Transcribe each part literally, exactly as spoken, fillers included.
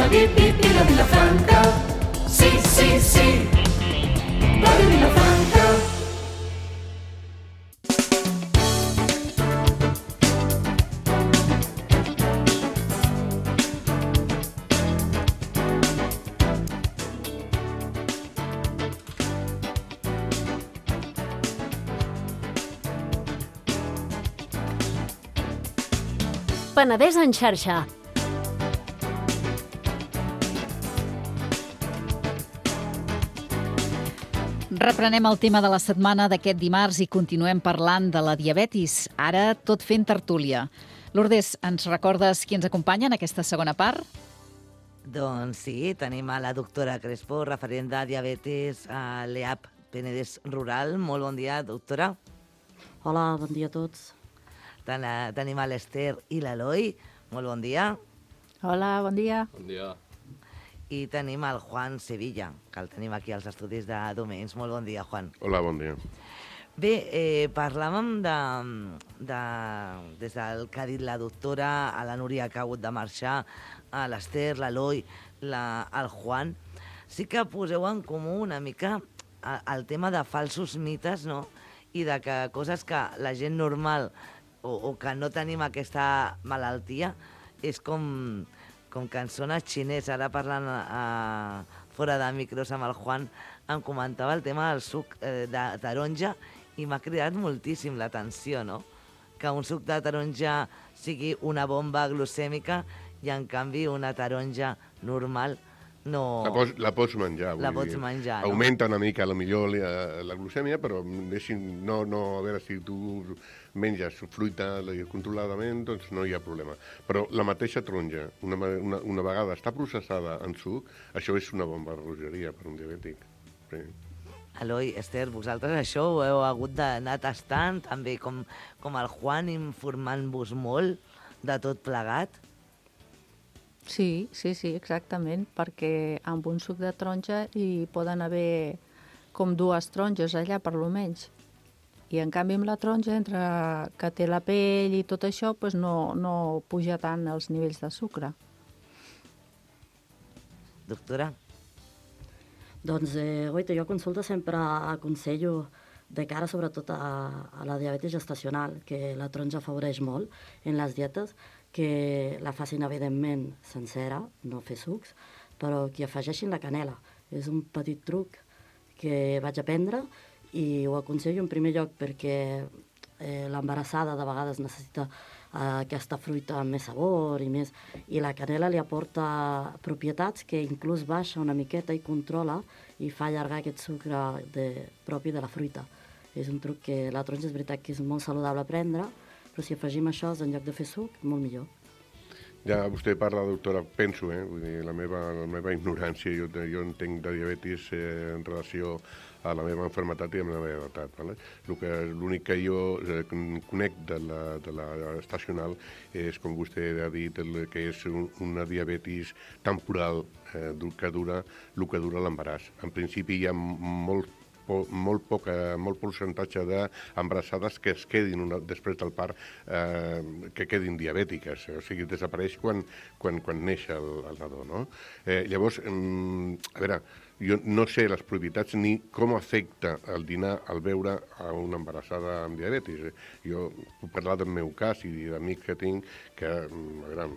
la bip bip i la Vilafranca. Sí, sí, sí, ràdio Vilafranca. Penedès en xarxa. Reprenem el tema de la setmana d'aquest dimarts i continuem parlant de la diabetis, ara tot fent tertúlia. Lourdes, ens recordes qui ens acompanya en aquesta segona part? Doncs sí, tenim a la doctora Crespo, referent de diabetis a l'E A P Penedès Rural. Molt bon dia, doctora. Hola, bon dia a tots. Ten tenim a l'Ester i l'Eloi. Molt bon dia. Hola, bon dia. Bon dia. I tenim el Juan Sevilla, que el tenim aquí als estudis de Domens. Molt bon dia, Juan. Hola, bon dia. Bé, eh, parlàvem de, de, des del que ha dit la doctora, a la Núria que ha hagut de marxar, a l'Ester, l'Eloi, la, el Juan. Sí que poseu en comú una mica el tema de falsos mites, no? I de que coses que la gent normal o, o que no tenim aquesta malaltia és com, com cançones xinès. Ara parlant a, fora de micros amb el Juan, em comentava el tema del suc eh, de taronja i m'ha cridat moltíssim l'atenció, no? Que un suc de taronja sigui una bomba glucèmica i en canvi una taronja normal no... La pots, la pots menjar. La vull pots dir. menjar, no? Augmenta una mica, a lo millor, la, la glucèmia, però deixin, no, no, a veure, si tu menges fruita controladament, doncs no hi ha problema. Però la mateixa taronja, una, una, una vegada està processada en suc, això és una bomba de rogeria per un diabètic. Sí. Eloi, Ester, vosaltres això ho heu hagut d'anar tastant, també com, com el Juan, informant-vos molt de tot plegat? Sí, sí, sí, exactament, perquè amb un suc de taronja hi poden haver com dues taronges allà, per lo menys. I en canvi amb la taronja, entre que té la pell i tot això, doncs no, no puja tant els nivells de sucre. Doctora? Doncs, eh, oita, jo a consulta sempre aconsello, de cara sobretot a, a la diabetis gestacional, que la taronja afavoreix molt en les dietes, que la facin evidentment sencera, no fer sucs, però que afegeixin la canela. És un petit truc que vaig aprendre i ho aconsello en primer lloc perquè eh, l'embarassada de vegades necessita eh, aquesta fruita amb més sabor i més, i la canela li aporta propietats que inclús baixa una miqueta i controla i fa allargar aquest sucre de, propi de la fruita. És un truc que la taronja és veritat que és molt saludable a prendre, però si afegim això en lloc de fer suc, molt millor. Ja vostè parla, doctora, penso, eh? Vull dir, la meva, la meva ignorància, jo, jo entenc de diabetis eh, en relació a la meva malaltia i amb la meva edat. Vale? L'únic que jo eh, conec de la, de la estacional és, com vostè ha dit, el, que és un, una diabetis temporal eh, que dura el que dura l'embaràs. En principi hi ha molt molt poc molt percentatge d'embarassades que es quedin una, després del part eh, que quedin diabètiques, o sigui, desapareix quan, quan, quan neix el, el nadó, no? Eh, llavors, mm, a veure, jo no sé les propietats ni com afecta el dinar al veure a una embarassada amb diabetis. Jo puc parlar del meu cas i d'amics que tinc que, a veure,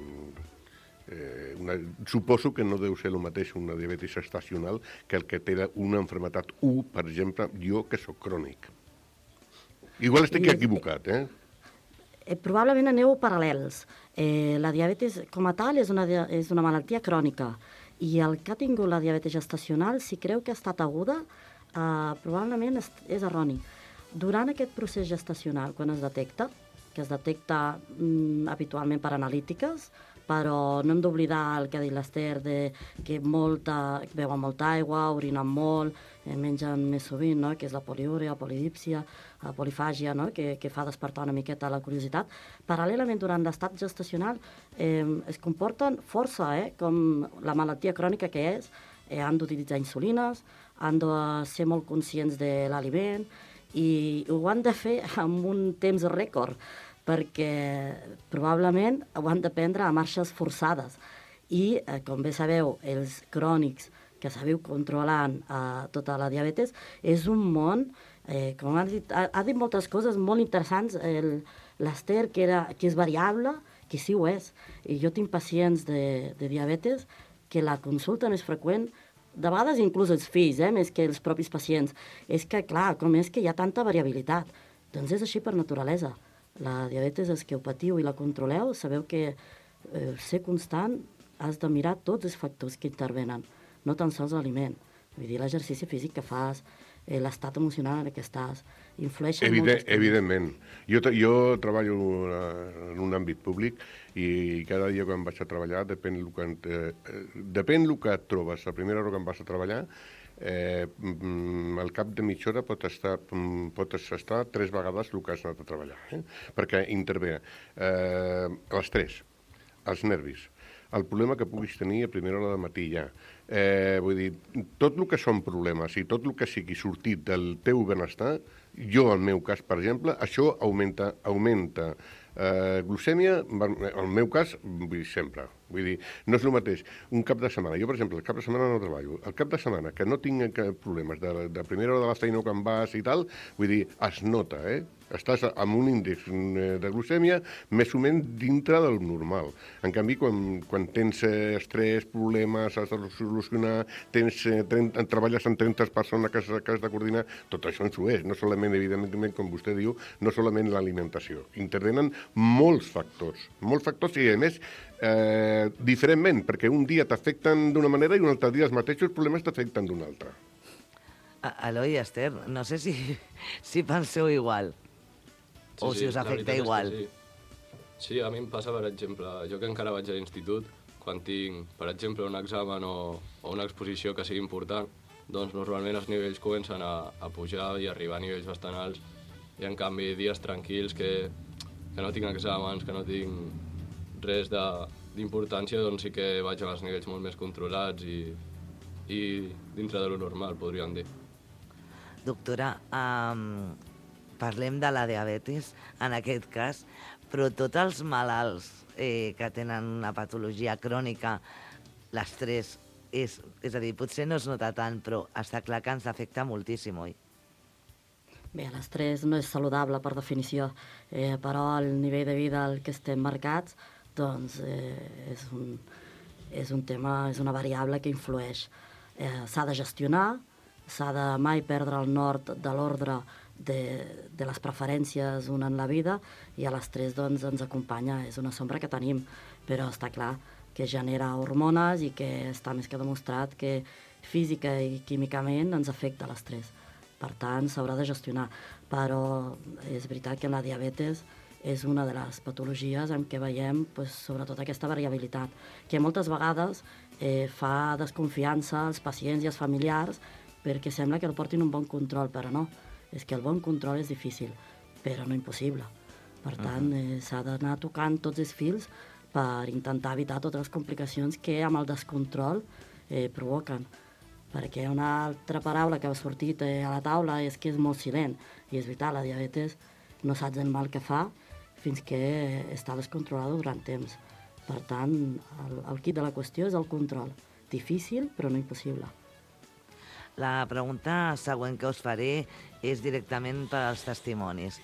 Eh, una, suposo que no deu ser el mateix una diabetis estacional que el que té una malaltia u, per exemple, jo que sóc crònic. Igual estic equivocat, eh? eh probablement aneu paral·lels. Eh, la diabetis com a tal és una, és una malaltia crònica i el que ha tingut la diabetis gestacional, si creu que ha estat aguda, eh, probablement és, és erroni. Durant aquest procés gestacional, quan es detecta, que es detecta mm, habitualment per analítiques, però no hem d'oblidar el que ha dit l'Ester, de que molta, beuen molta aigua, orinen molt, eh, mengen més sovint, no? Que és la poliúria, polidípsia, la polifàgia, no? que, que fa despertar una miqueta la curiositat. Paral·lelament, durant l'estat gestacional, eh, es comporten força, eh? Com la malaltia crònica que és, eh, han d'utilitzar insulines, han de ser molt conscients de l'aliment, i ho han de fer amb un temps rècord, perquè probablement ho han de prendre a marxes forçades. I, eh, com bé sabeu, els crònics que sabeu controlant eh, tota la diabetes, és un món, eh, com ha dit, ha, ha dit moltes coses molt interessants, l'Ester, que, era, que és variable, que sí ho és. I jo tinc pacients de, de diabetes que la consulta més freqüent, de vegades inclús els fills, eh, més que els propis pacients, és que, clar, com és que hi ha tanta variabilitat? Doncs és així per naturalesa. La diabetes, els que ho patiu i la controleu, sabeu que eh, ser constant has de mirar tots els factors que intervenen, no tan sols l'aliment. Vull dir, l'exercici físic que fas, eh, l'estat emocional en què estàs, influeixen Evident, moltes coses. evidentment. Jo, jo treballo en un àmbit públic i cada dia quan vaig a treballar, depèn el que, eh, depèn el que et trobes. La primera hora que em vas a treballar, eh, al cap de mitja hora pot estar, pot estar tres vegades el que has anat a treballar, eh? Perquè intervé eh, l'estrès, els nervis, el problema que puguis tenir a primera hora de matí ja. Eh, vull dir, tot el que són problemes i tot el que sigui sortit del teu benestar, jo, en el meu cas, per exemple, això augmenta, augmenta eh, glucèmia, en el meu cas, vull dir, sempre. Vull dir, no és el mateix. Un cap de setmana, jo, per exemple, el cap de setmana no treballo. El cap de setmana, que no tinc problemes de, de primera hora de la feina que em vas i tal, vull dir, es nota, eh? Estàs amb un índex de glucèmia més o menys dintre del normal. En canvi, quan, quan tens estrès, problemes, has de solucionar, tens, trenta, treballes amb trenta persones que has, que has de coordinar, tot això ens ho és. No solament, evidentment, com vostè diu, no solament l'alimentació. Intervenen molts factors, molts factors i, a més, eh, diferentment, perquè un dia t'afecten d'una manera i un altre dia els mateixos problemes t'afecten d'una altra. Eloi i Ester, no sé si, si penseu igual. Sí, o si sí, us la afecta veritat és que igual. Sí. sí, a mi em passa, per exemple, jo que encara vaig a l'institut, quan tinc, per exemple, un examen o, o una exposició que sigui important, doncs normalment els nivells comencen a, a pujar i arribar a nivells bastant alts. I en canvi, dies tranquils, que, que no tinc exàmens, que no tinc res d'importància, doncs sí que vaig a els nivells molt més controlats i, i dintre de lo normal, podríem dir. Doctora, um, parlem de la diabetis, en aquest cas, però tots els malalts eh, que tenen una patologia crònica, l'estrès, és, és a dir, potser no es nota tant, però està clar que ens afecta moltíssim, oi? Bé, l'estrès no és saludable per definició, eh, però el nivell de vida al que estem marcats doncs, eh, és, un, és un tema, és una variable que influeix. Eh, s'ha de gestionar, s'ha de mai perdre el nord de l'ordre de, de les preferències una en la vida i a l'estrès doncs, ens acompanya, és una sombra que tenim, però està clar que genera hormones i que està més que demostrat que física i químicament ens afecta l'estrès. Per tant, s'haurà de gestionar. Però és veritat que la diabetes és una de les patologies en què veiem pues, sobretot aquesta variabilitat, que moltes vegades eh, fa desconfiança als pacients i als familiars perquè sembla que el portin un bon control, però no. És que el bon control és difícil, però no impossible. Per tant, eh, s'ha d'anar tocant tots els fils per intentar evitar totes les complicacions que amb el descontrol eh, provoquen. Perquè una altra paraula que ha sortit eh, a la taula és que és molt silent. I és veritat, la diabetes no saps el mal que fa fins que eh, està descontrolada durant temps. Per tant, el, el quid de la qüestió és el control. Difícil, però no impossible. La pregunta següent que us faré és directament per als testimonis.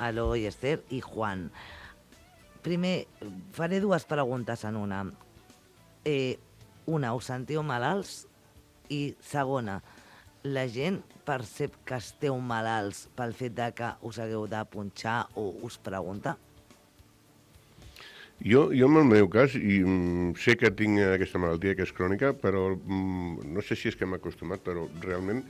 Eloi, Ester i Juan. Primer, faré dues preguntes en una. Eh, una, us sentiu malalts? I segona, la gent percep que esteu malalts pel fet de que us hagueu de punxar o us pregunta? Jo, jo en el meu cas, i mm, sé que tinc aquesta malaltia que és crònica, però mm, no sé si és que m'he acostumat, però realment,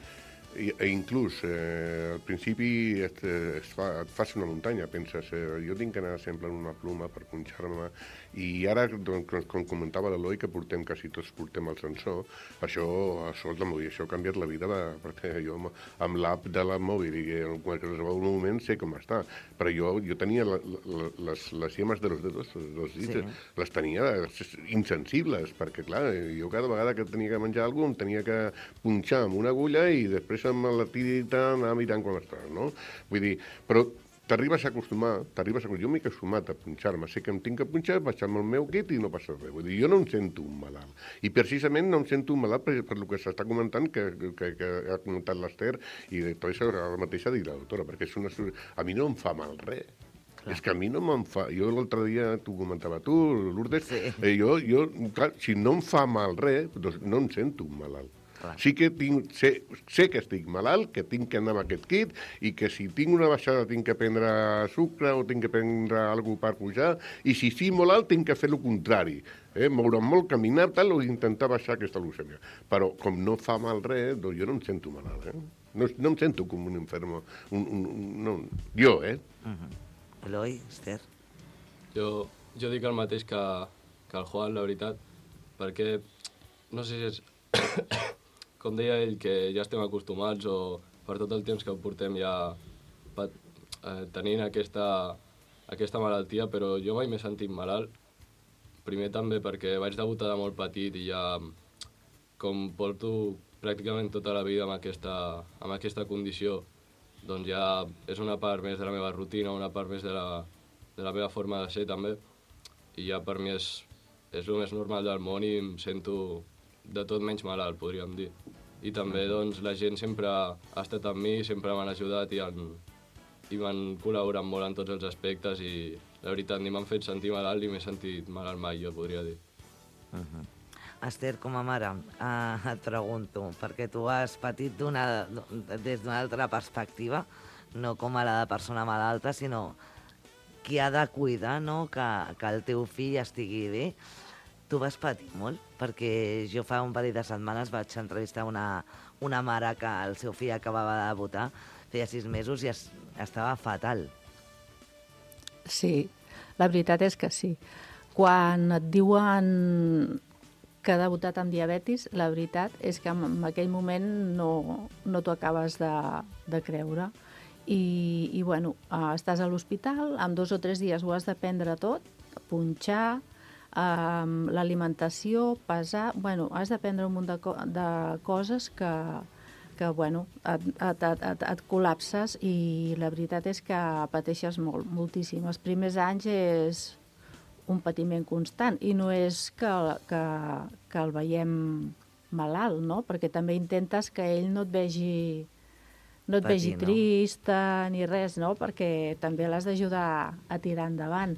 i, e inclús eh, al principi et, es fa, et fas una muntanya, penses, eh, jo tinc que anar sempre amb una pluma per punxar-me, i ara, doncs, com comentava l'Eloi, que portem, quasi tots portem el sensor, això, això, això ha canviat la vida, perquè jo amb l'app de la mòbil i en qualsevol moment sé com està, però jo, jo tenia la, la, les, les yemes de los dedos, dels dits, sí. Les tenia insensibles, perquè clar, jo cada vegada que tenia que menjar alguna cosa em tenia que punxar amb una agulla i després amb la tirita anar mirant com està, no? Vull dir, però t'arribes a acostumar, t'arribes a... Jo m'he acostumat a punxar-me, sé que em tinc que punxar, baixar-me el meu kit i no passa res. Vull dir, jo no em sento un malalt. I precisament no em sento un malalt per, per el que s'està comentant, que, que, que ha comentat l'Ester, i de tot això ara mateix ha dit la doctora, perquè és una... a mi no em fa mal res. Clar. És que a mi no me'n fa... Jo l'altre dia, t'ho comentava tu, Lourdes, sí. eh, jo, jo, clar, si no em fa mal res, doncs no em sento un malalt. Clar. Sí que tinc, sé, sé que estic malalt, que tinc que anar amb aquest kit, i que si tinc una baixada tinc que prendre sucre o tinc que prendre alguna cosa per pujar, i si estic molt alt tinc que fer el contrari. Eh? Moure'm molt, caminar, tal, o intentar baixar aquesta leucèmia. Però com no fa mal res, doncs jo no em sento malalt. Eh? No, no em sento com un enfermo. Un, un, un, no, jo, eh? Uh-huh. Eloi, Esther? Jo, jo dic el mateix que, que el Juan, la veritat, perquè no sé si és, com deia ell, que ja estem acostumats o per tot el temps que portem ja pat, eh, tenint aquesta, aquesta malaltia, però jo mai m'he sentit malalt. Primer també perquè vaig debutar de molt petit i ja, com porto pràcticament tota la vida amb aquesta, amb aquesta condició, doncs ja és una part més de la meva rutina, una part més de la, de la meva forma de ser també, i ja per mi és, és el més normal del món i em sento de tot menys malalt, podríem dir. I també doncs, la gent sempre ha estat amb mi, sempre m'han ajudat i, han, i m'han col·laborat molt en tots els aspectes i la veritat ni m'han fet sentir malalt ni m'he sentit malalt mai, jo podria dir. Uh-huh. Esther, com a mare, eh, et pregunto, perquè tu has patit d'una, des d'una altra perspectiva, no com a la de persona malalta, sinó qui ha de cuidar, no? que, que el teu fill estigui bé. Tu vas patir molt, perquè jo fa un parell de setmanes vaig entrevistar una, una mare que el seu fill acabava de debutar, feia sis mesos i es, estava fatal. Sí, la veritat és que sí. Quan et diuen que ha debutat amb diabetis, la veritat és que en aquell moment no, no t'ho acabes de, de creure. I, i bueno, estàs a l'hospital, en dos o tres dies ho has de prendre tot, punxar, eh, l'alimentació, pesar... Bueno, has de prendre un munt de, co de coses que, que bueno, et, et, et, et, et col·lapses i la veritat és que pateixes molt, moltíssim. Els primers anys és un patiment constant i no és que, que, que el veiem malalt, no? Perquè també intentes que ell no et vegi, no et Patir, vegi no? trista ni res, no? Perquè també l'has d'ajudar a tirar endavant.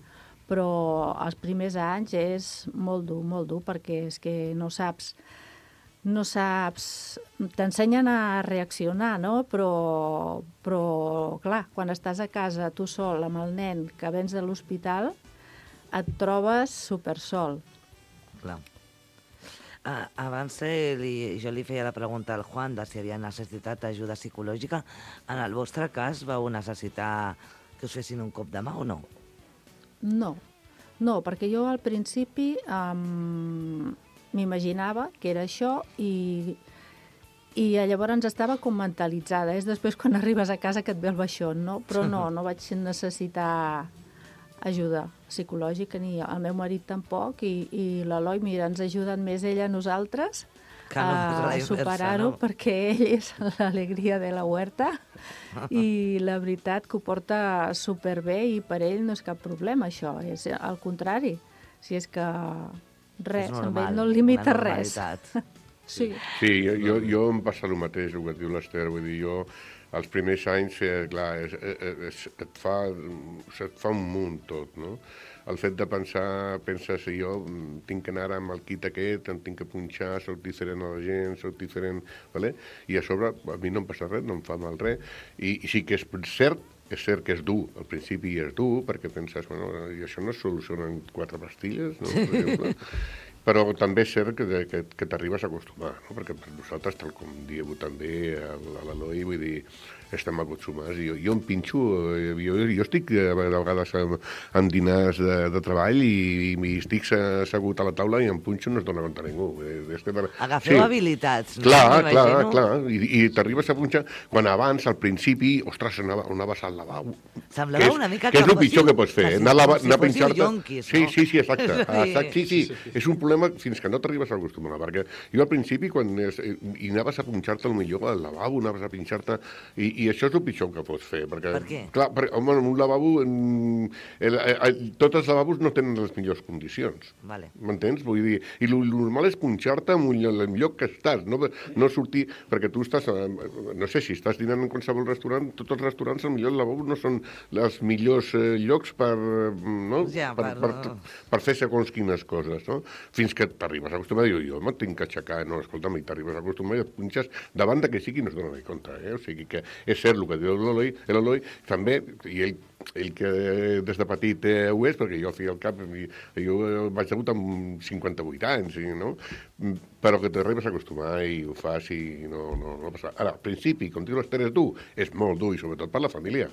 Però els primers anys és molt dur, molt dur, perquè és que no saps, no saps... T'ensenyen a reaccionar, no? Però, però, clar, quan estàs a casa tu sol amb el nen que vens de l'hospital, et trobes supersol. Clar. Uh, abans eh, li, jo li feia la pregunta al Juan de si havia necessitat ajuda psicològica. En el vostre cas vau necessitar que us fessin un cop de mà o no? No, no, perquè jo al principi um, m'imaginava que era això i, i llavors estava com mentalitzada. És després quan arribes a casa que et ve el baixón, no? Però no, no vaig necessitar ajuda psicològica, ni el meu marit tampoc, i, i l'Eloi, mira, ens ha ajudat més ella a nosaltres Que no és la a inversa, superar-ho, no? perquè ell és l'alegria de la huerta i la veritat que ho porta superbé i per ell no és cap problema, això. És al contrari. Si és que res, És amb normal, ell no el limita una res. normalitat. Sí. Sí, jo, jo, jo em passa el mateix, el que diu l'Ester, vull dir, jo els primers anys, eh, clar, és, és, et, fa, et fa un munt tot, no? El fet de pensar, penses, si jo tinc que anar amb el kit aquest, em tinc que punxar, soc diferent a la gent, soc diferent, vale? I a sobre a mi no em passa res, no em fa mal res, i, i sí que és cert, és cert que és dur, al principi és dur, perquè penses, bueno, i això no es soluciona en quatre pastilles, no?, per exemple. Però també és cert que, que, que t'arribes a acostumar, no? Perquè per nosaltres, tal com dieu també a l'Eloi, vull dir, estem acostumats. Jo, jo em pinxo, jo, jo estic a vegades en dinars de, de treball i, i estic assegut a la taula i em punxo i no es dona compte a ningú. Agafeu sí. habilitats. Clar, no? clar, clar. I, i t'arribes a punxar quan abans, al principi, ostres, anava, anaves al lavabo. Semblava és, una mica que que és el pitjor que pots fer, quasi, anar a, com si anar a fóssiu pinxar-te. yonquis, Sí, no? sí, sí, exacte. exacte. Sí, sí, és un problema problema fins que no t'arribes a acostumar, perquè jo al principi, quan es, i anaves a punxar-te el millor al lavabo, anaves a pinxar-te, i, i això és el pitjor que pots fer. Perquè, per què? Clar, perquè, home, en un lavabo, en, el, el, tots els lavabos no tenen les millors condicions. Vale. M'entens? Vull dir, i el normal és punxar-te en el lloc que estàs, no, no sortir, perquè tu estàs, no sé, si estàs dinant en qualsevol restaurant, tots els restaurants, el millor lavabo no són els millors eh, llocs per, no? Ja, per, per... per, per fer segons quines coses, no? Fins que t'arribes a acostumar, jo, jo me'n tinc que aixecar, no, escolta'm, i t'arribes a acostumar i et punxes davant de que sigui no es dona compte, eh? O sigui que és cert el que diu l'Eloi, l'Eloi també, i ell ell que des de petit eh, ho és, perquè jo, al fi al cap, jo vaig degut amb cinquanta-vuit anys, no? Però que t'arribes a acostumar i ho fas i no, no, no passa. Ara, al principi, com diu l'Ester, és dur, és molt dur, i sobretot per la família.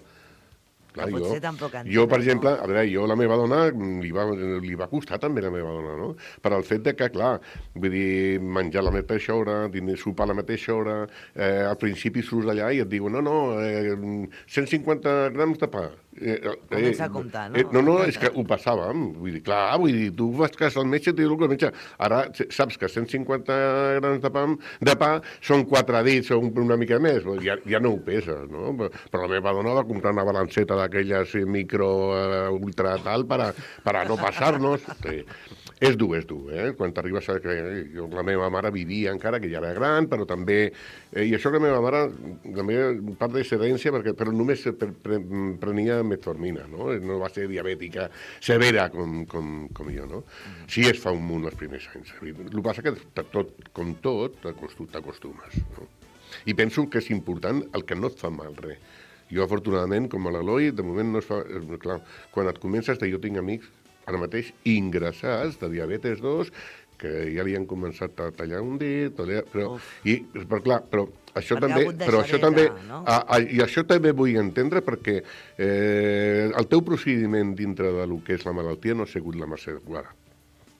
Clar, no jo, tampoc jo, per exemple, a veure, jo la meva dona li va, li va costar també la meva dona, no? Per al fet de que, clar, vull dir, menjar a la mateixa hora, diner, sopar a la mateixa hora, eh, al principi surts d'allà i et diuen, no, no, eh, cent cinquanta grams de pa. Eh, Comença a comptar, no? Eh, no, no, és que ho passàvem. Vull dir, clar, vull dir, tu vas a casa al metge i et diu el metge. Ara saps que cent cinquanta grams de pa, de pa són quatre dits o una mica més. Ja, ja no ho peses, no? Però la meva dona va comprar una balanceta d'aquelles micro uh, ultra tal per a, per a no passar-nos. Sí. És dur, és dur, eh? Quan t'arribes a... Jo, la meva mare vivia encara, que ja era gran, però també... Eh, I això que la meva mare, també part de sedència, perquè, però només pre, pre, prenia metformina, no? No va ser diabètica severa com, com, com jo, no? Sí, es fa un munt els primers anys. El que passa que tot, com tot, t'acostumes, no? I penso que és important el que no et fa mal res. Jo, afortunadament, com a l'Eloi, de moment no es fa... Clar, quan et comences de jo tinc amics ara mateix ingressats de diabetes dos, que ja li han començat a tallar un dit, però, i, però clar, però això perquè també, però això també, no? a, a, i això també vull entendre perquè eh, el teu procediment dintre de lo que és la malaltia no ha sigut la més adequada.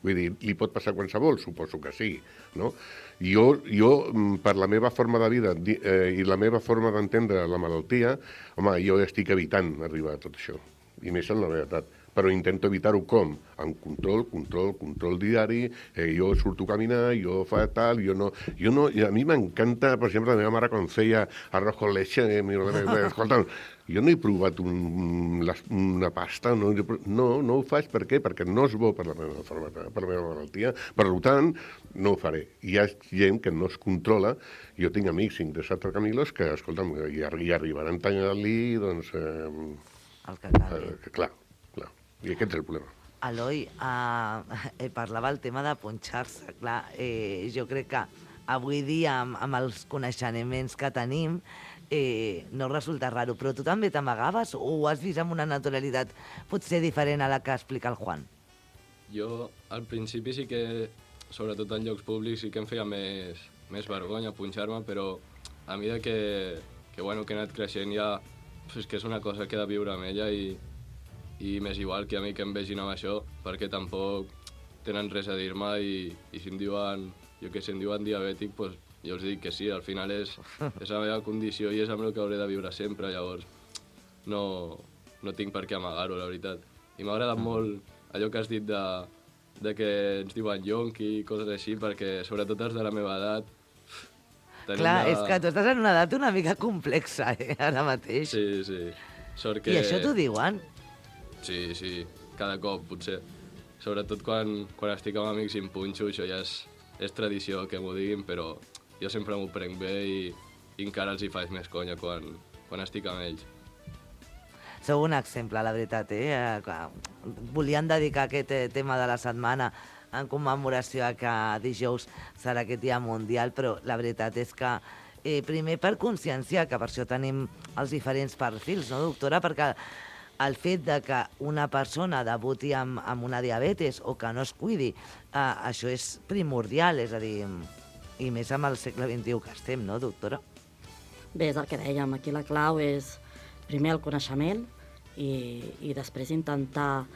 Vull dir, li pot passar qualsevol, suposo que sí, no? Jo, jo per la meva forma de vida eh, i la meva forma d'entendre la malaltia, home, jo estic evitant arribar a tot això, i més en la meva edat. Però intento evitar-ho com? Amb control, control, control diari, eh, jo surto a caminar, jo fa tal, jo no... Jo no a mi m'encanta, per exemple, la meva mare quan feia arroz con leche, eh, escolta, jo no he provat un, la, una pasta, no, no, no ho faig, per què? Perquè no és bo per la meva, forma, per la meva malaltia, per tant, no ho faré. Hi ha gent que no es controla, jo tinc amics ingressats al Camilos que, escolta'm, hi, hi arribaran tallant-li, doncs... Eh, el que acabi. Eh, clar. I aquest és el problema. Eloi, eh, eh, parlava el tema de punxar-se. Clar, eh, jo crec que avui dia, amb, amb els coneixements que tenim, eh, no resulta raro, però tu també t'amagaves o ho has vist amb una naturalitat potser diferent a la que explica el Juan? Jo, al principi sí que, sobretot en llocs públics, sí que em feia més, més vergonya punxar-me, però a mesura que, que, bueno, que he anat creixent ja, és que és una cosa que he de viure amb ella i i m'és igual que a mi que em vegin amb això, perquè tampoc tenen res a dir-me i, i si em diuen, jo que si em diuen diabètic, pues, jo els dic que sí, al final és, és la meva condició i és amb el que hauré de viure sempre, llavors no, no tinc per què amagar-ho, la veritat. I m'ha agradat molt allò que has dit de, de que ens diuen yonqui i coses així, perquè sobretot els de la meva edat... Clar, la... és que tu estàs en una edat una mica complexa, eh, ara mateix. Sí, sí. Sort que... I això t'ho diuen? Sí, sí, cada cop, potser. Sobretot quan, quan estic amb amics i em punxo, això ja és, és tradició que m'ho diguin, però jo sempre m'ho prenc bé i, i encara els hi faig més conya quan, quan estic amb ells. Sou un exemple, la veritat, eh? Volien dedicar aquest tema de la setmana en commemoració a que dijous serà aquest dia mundial, però la veritat és que eh, primer per conscienciar, que per això tenim els diferents perfils, no, doctora? Perquè el fet de que una persona debuti amb, amb una diabetes o que no es cuidi, eh, això és primordial, és a dir, i més amb el segle vint-i-u que estem, no, doctora? Bé, és el que dèiem, aquí la clau és primer el coneixement i, i després intentar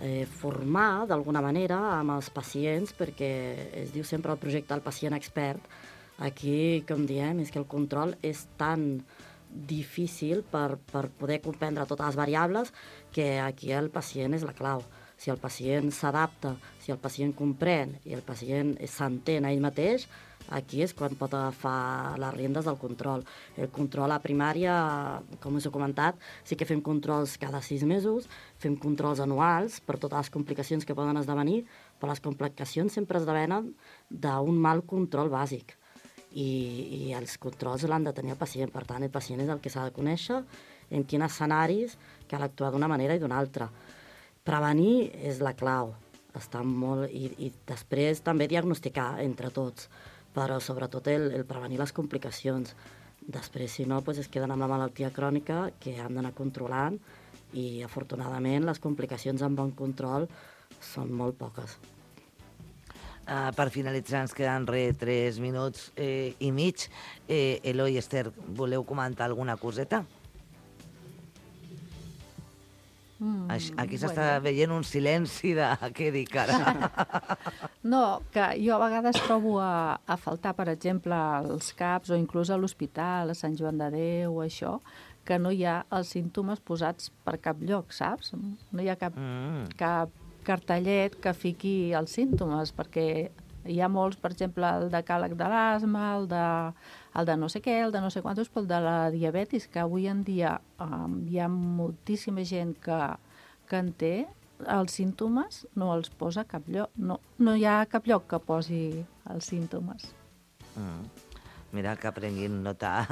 eh, formar d'alguna manera amb els pacients, perquè es diu sempre el projecte del pacient expert. Aquí, com diem, és que el control és tan difícil per, per poder comprendre totes les variables que aquí el pacient és la clau. Si el pacient s'adapta, si el pacient comprèn i el pacient s'entén a ell mateix, aquí és quan pot agafar les riendes del control. El control a primària, com us he comentat, sí que fem controls cada sis mesos, fem controls anuals per totes les complicacions que poden esdevenir, però les complicacions sempre esdevenen d'un mal control bàsic. I, i els controls l'han de tenir el pacient. Per tant, el pacient és el que s'ha de conèixer en quins escenaris cal actuar d'una manera i d'una altra. Prevenir és la clau. Està molt... I, i després també diagnosticar entre tots, però sobretot el, el prevenir les complicacions. Després, si no, doncs es queden amb la malaltia crònica que han d'anar controlant i, afortunadament, les complicacions amb bon control són molt poques. Uh, per finalitzar, ens queden re tres minuts eh, i mig. Eh, Eloi, Esther, voleu comentar alguna coseta? Mm, Aquí s'està bueno. veient un silenci de què dic ara. No, que jo a vegades trobo a, a faltar, per exemple, als CAPs o inclús a l'hospital, a Sant Joan de Déu o això, que no hi ha els símptomes posats per cap lloc, saps? No hi ha cap, mm. cap cartellet que fiqui els símptomes, perquè hi ha molts, per exemple, el decàleg de l'asma, el de, el de no sé què, el de no sé quantos, però el de la diabetis, que avui en dia um, hi ha moltíssima gent que, que en té, els símptomes no els posa a cap lloc. No, no hi ha cap lloc que posi els símptomes. Mm. Mira, que prenguin nota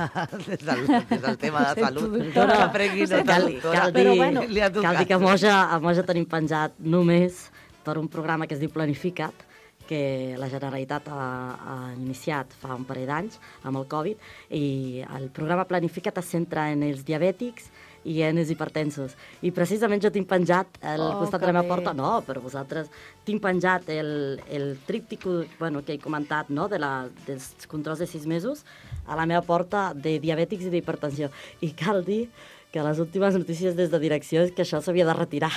des del, des del tema de salut. Que prenguin nota, cal, doctora. Cal dir, bueno, cal dir que a Moja, a Moja tenim penjat només per un programa que es diu Planifica't, que la Generalitat ha, ha iniciat fa un parell d'anys amb el Covid, i el programa Planifica't es centra en els diabètics i en els hipertensos. I precisament jo tinc penjat al oh, costat de la meva porta, no, per vosaltres, tinc penjat el, el tríptic, bueno, que he comentat, no, de la, dels controls de sis mesos a la meva porta de diabètics i d'hipertensió. I cal dir que les últimes notícies des de direcció és que això s'havia de retirar.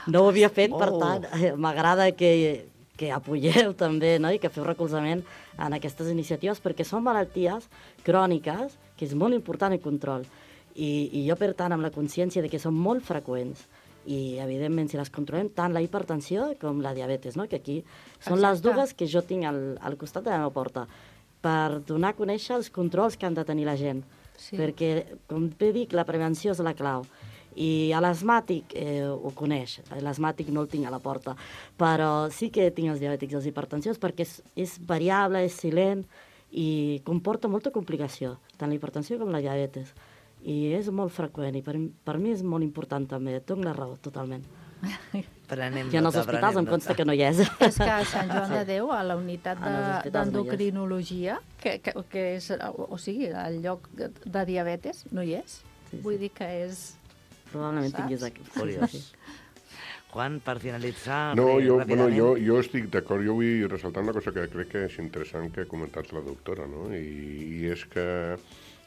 No ho havia fet, oh. per tant, m'agrada que, que apoyeu també, no?, i que feu recolzament en aquestes iniciatives, perquè són malalties cròniques que és molt important el control. I, i jo, per tant, amb la consciència de que són molt freqüents i, evidentment, si les controlem, tant la hipertensió com la diabetes, no?, que aquí són Exacte. les dues que jo tinc al, al costat de la meva porta, per donar a conèixer els controls que han de tenir la gent. Sí. Perquè, com bé dic, la prevenció és la clau. I a l'asmàtic eh, ho coneix, l'asmàtic no el tinc a la porta, però sí que tinc els diabètics i els hipertensions perquè és, és variable, és silent i comporta molta complicació, tant la hipertensió com la diabetes. I és molt freqüent i per, per mi és molt important també, et dono la raó totalment. Prenem I en els nota, hospitals em consta que no hi és. És que a Sant Joan de Déu, a la unitat d'endocrinologia, que, que, que és, o sigui, el lloc de diabetes, no hi és. Sí, sí. Vull dir que és... Probablement tinguis aquí. Curiós. Juan, per finalitzar... No, jo, bueno, jo, jo estic d'acord, jo vull ressaltar una cosa que crec que és interessant que ha comentat la doctora, no? I, i és que...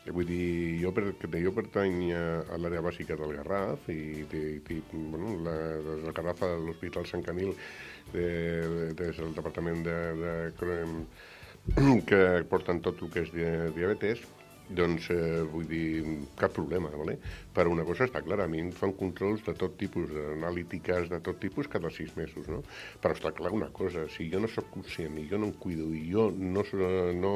Vull dir, jo, per, jo pertany a l'àrea bàsica del Garraf i, i, i bueno, la, la Garraf de l'Hospital Sant Camil de, de, des del departament de, de, que porten tot el que és diabetes, doncs eh, vull dir, cap problema, ¿vale? Però una cosa està clara, a mi em fan controls de tot tipus, analítiques de tot tipus cada sis mesos, no? Però està clar una cosa, si jo no sóc conscient i jo no em cuido i jo no... no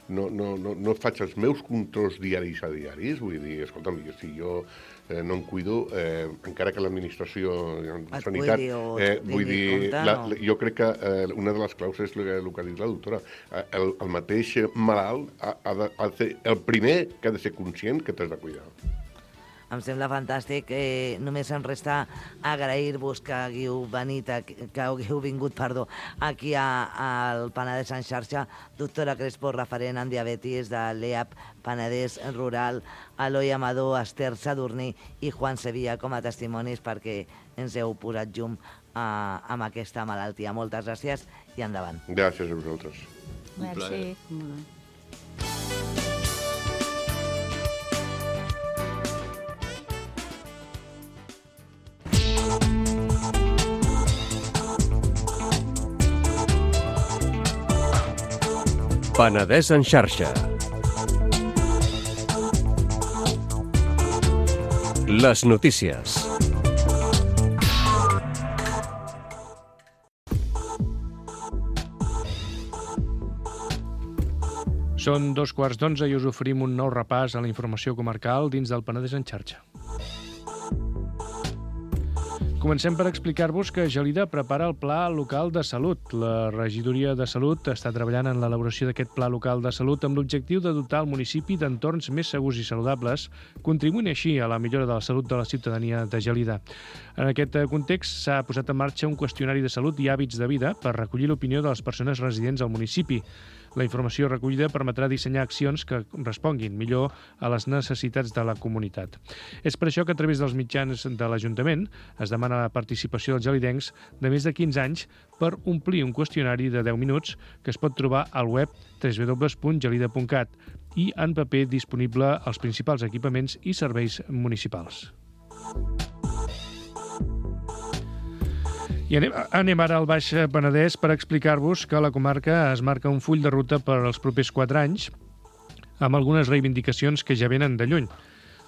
No, no, no, no faig els meus controls diaris a diaris, vull dir, escolta'm, si jo eh, no em cuido, eh, encara que l'administració de sanitat, eh, vull dir, la, la, jo crec que eh, una de les claus és el que, el que ha dit la doctora, el, el mateix malalt ha, ha, de, ha de ser el primer que ha de ser conscient que t'has de cuidar. Em sembla fantàstic. Eh, només em resta agrair-vos que hagueu venit, que hagueu vingut, perdó, aquí al Penedès en xarxa. Doctora Crespo, referent en diabetis de l'E A P Penedès Rural, Eloi Amador, Esther Sadurní i Juan Sevilla com a testimonis perquè ens heu posat llum a, amb aquesta malaltia. Moltes gràcies i endavant. Gràcies a vosaltres. Un plaer. Penedès en xarxa. Les notícies. Són dos quarts d'onze i us oferim un nou repàs a la informació comarcal dins del Penedès en xarxa. Comencem per explicar-vos que Gelida prepara el Pla Local de Salut. La Regidoria de Salut està treballant en l'elaboració d'aquest Pla Local de Salut amb l'objectiu de dotar el municipi d'entorns més segurs i saludables, contribuint així a la millora de la salut de la ciutadania de Gelida. En aquest context s'ha posat en marxa un qüestionari de salut i hàbits de vida per recollir l'opinió de les persones residents al municipi. La informació recollida permetrà dissenyar accions que responguin millor a les necessitats de la comunitat. És per això que a través dels mitjans de l'Ajuntament es demana la participació dels gelidencs de més de quinze anys per omplir un qüestionari de deu minuts que es pot trobar al web w w w punt gelida punt cat i en paper disponible als principals equipaments i serveis municipals. I anem, anem ara al Baix Penedès per explicar-vos que la comarca es marca un full de ruta per als propers quatre anys amb algunes reivindicacions que ja venen de lluny.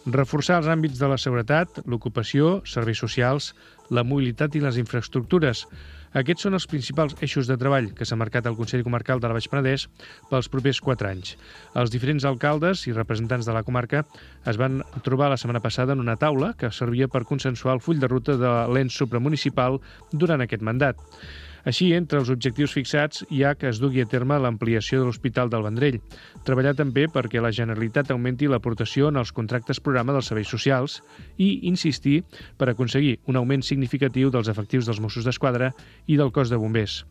Reforçar els àmbits de la seguretat, l'ocupació, serveis socials, la mobilitat i les infraestructures. Aquests són els principals eixos de treball que s'ha marcat el Consell Comarcal del Baix Penedès pels propers quatre anys. Els diferents alcaldes i representants de la comarca es van trobar la setmana passada en una taula que servia per consensuar el full de ruta de l'ens supramunicipal durant aquest mandat. Així, entre els objectius fixats hi ha que es dugui a terme l'ampliació de l'Hospital del Vendrell, treballar també perquè la Generalitat augmenti l'aportació en els contractes programa dels serveis socials i insistir per aconseguir un augment significatiu dels efectius dels Mossos d'Esquadra i del cos de bombers.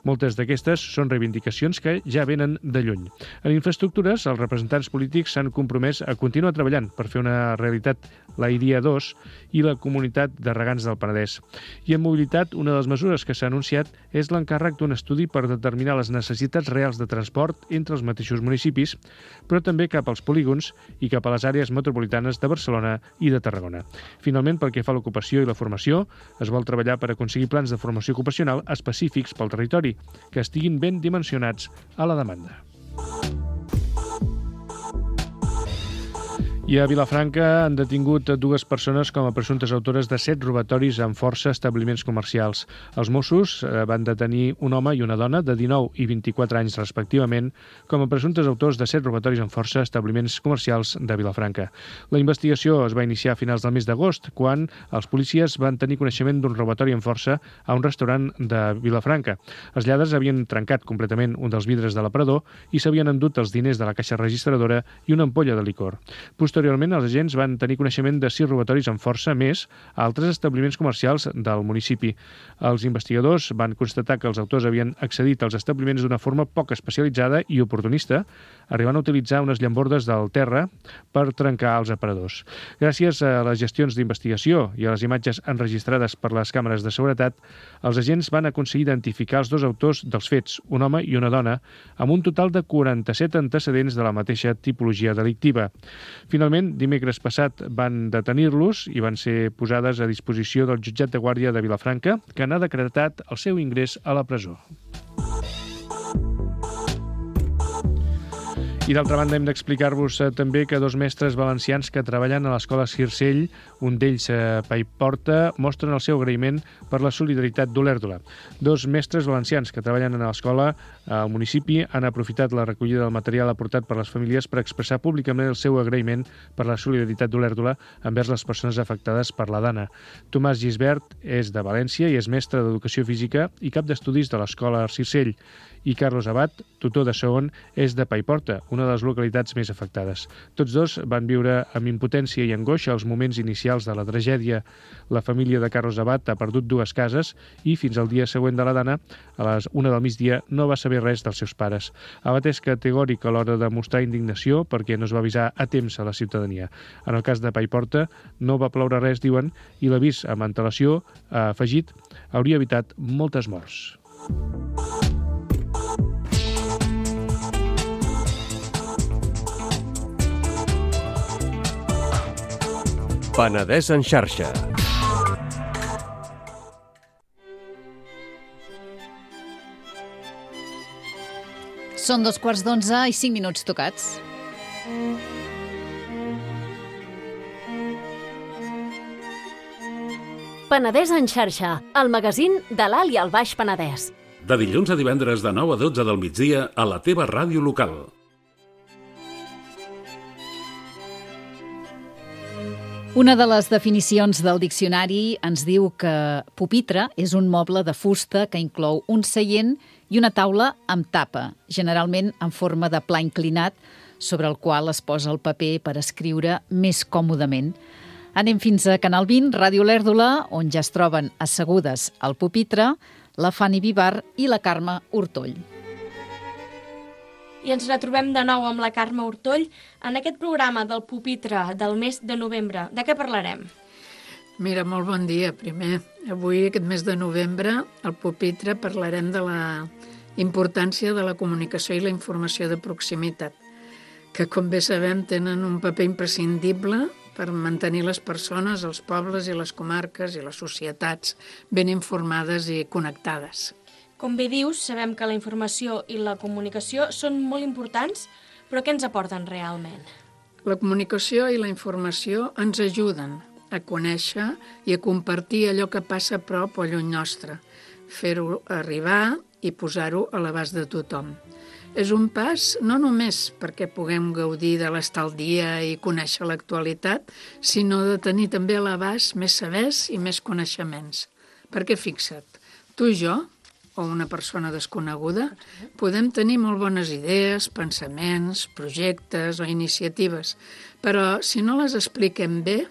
Moltes d'aquestes són reivindicacions que ja venen de lluny. En infraestructures, els representants polítics s'han compromès a continuar treballant per fer una realitat la I D I A dos i la Comunitat de Regants del Penedès. I en mobilitat, una de les mesures que s'ha anunciat és l'encàrrec d'un estudi per determinar les necessitats reals de transport entre els mateixos municipis, però també cap als polígons i cap a les àrees metropolitanes de Barcelona i de Tarragona. Finalment, pel que fa a l'ocupació i la formació, es vol treballar per aconseguir plans de formació ocupacional específics pel territori, que estiguin ben dimensionats a la demanda. I a Vilafranca han detingut dues persones com a presumptes autores de set robatoris amb força a establiments comercials. Els Mossos van detenir un home i una dona de dinou i vint-i-quatre anys respectivament com a presumptes autors de set robatoris amb força a establiments comercials de Vilafranca. La investigació es va iniciar a finals del mes d'agost, quan els policies van tenir coneixement d'un robatori amb força a un restaurant de Vilafranca. Els lladres havien trencat completament un dels vidres de l'aparador i s'havien endut els diners de la caixa registradora i una ampolla de licor. Posteriorment, els agents van tenir coneixement de sis robatoris amb força més a altres establiments comercials del municipi. Els investigadors van constatar que els autors havien accedit als establiments d'una forma poc especialitzada i oportunista, arribant a utilitzar unes llambordes del terra per trencar els aparadors. Gràcies a les gestions d'investigació i a les imatges enregistrades per les càmeres de seguretat, els agents van aconseguir identificar els dos autors dels fets, un home i una dona, amb un total de quaranta-set antecedents de la mateixa tipologia delictiva. Finalment, dimecres passat van detenir-los i van ser posades a disposició del jutjat de guàrdia de Vilafranca, que n'ha decretat el seu ingrés a la presó. I d'altra banda hem d'explicar-vos eh, també que dos mestres valencians que treballen a l'escola Circell, un d'ells a eh, Paiporta, mostren el seu agraïment per la solidaritat d'Olèrdola. Dos mestres valencians que treballen a l'escola al municipi han aprofitat la recollida del material aportat per les famílies per expressar públicament el seu agraïment per la solidaritat d'Olèrdola envers les persones afectades per la Dana. Tomàs Gisbert és de València i és mestre d'Educació Física i cap d'estudis de l'escola Circell. I Carlos Abad, tutor de segon, és de Paiporta, una de les localitats més afectades. Tots dos van viure amb impotència i angoixa els moments inicials de la tragèdia. La família de Carlos Abad ha perdut dues cases i fins al dia següent de la Dana, a les una del migdia, no va saber res dels seus pares. Abad és categòric a l'hora de mostrar indignació perquè no es va avisar a temps a la ciutadania. En el cas de Paiporta, no va ploure res, diuen, i l'avís amb antelació, ha afegit, hauria evitat moltes morts. Penedès en xarxa. Són dos quarts d'onze i cinc minuts tocats. Penedès en xarxa, el magazín de l'Alt i el Baix Penedès. De dilluns a divendres de nou a dotze del migdia a la teva ràdio local. Una de les definicions del diccionari ens diu que pupitre és un moble de fusta que inclou un seient i una taula amb tapa, generalment en forma de pla inclinat, sobre el qual es posa el paper per escriure més còmodament. Anem fins a Canal vint, Ràdio Lèrdula, on ja es troben assegudes al pupitre la Fanny Vivar i la Carme Hortoll. I ens retrobem de nou amb la Carme Hortoll en aquest programa del pupitre del mes de novembre. De què parlarem? Mira, molt bon dia, primer. Avui, aquest mes de novembre, al pupitre parlarem de la importància de la comunicació i la informació de proximitat, que, com bé sabem, tenen un paper imprescindible per mantenir les persones, els pobles i les comarques i les societats ben informades i connectades. Com bé dius, sabem que la informació i la comunicació són molt importants, però què ens aporten realment? La comunicació i la informació ens ajuden a conèixer i a compartir allò que passa a prop o lluny nostre, fer-ho arribar i posar-ho a l'abast de tothom. És un pas no només perquè puguem gaudir de l'estar al dia i conèixer l'actualitat, sinó de tenir també a l'abast més sabers i més coneixements. Perquè fixa't, tu i jo, o una persona desconeguda, podem tenir molt bones idees, pensaments, projectes o iniciatives, però si no les expliquem bé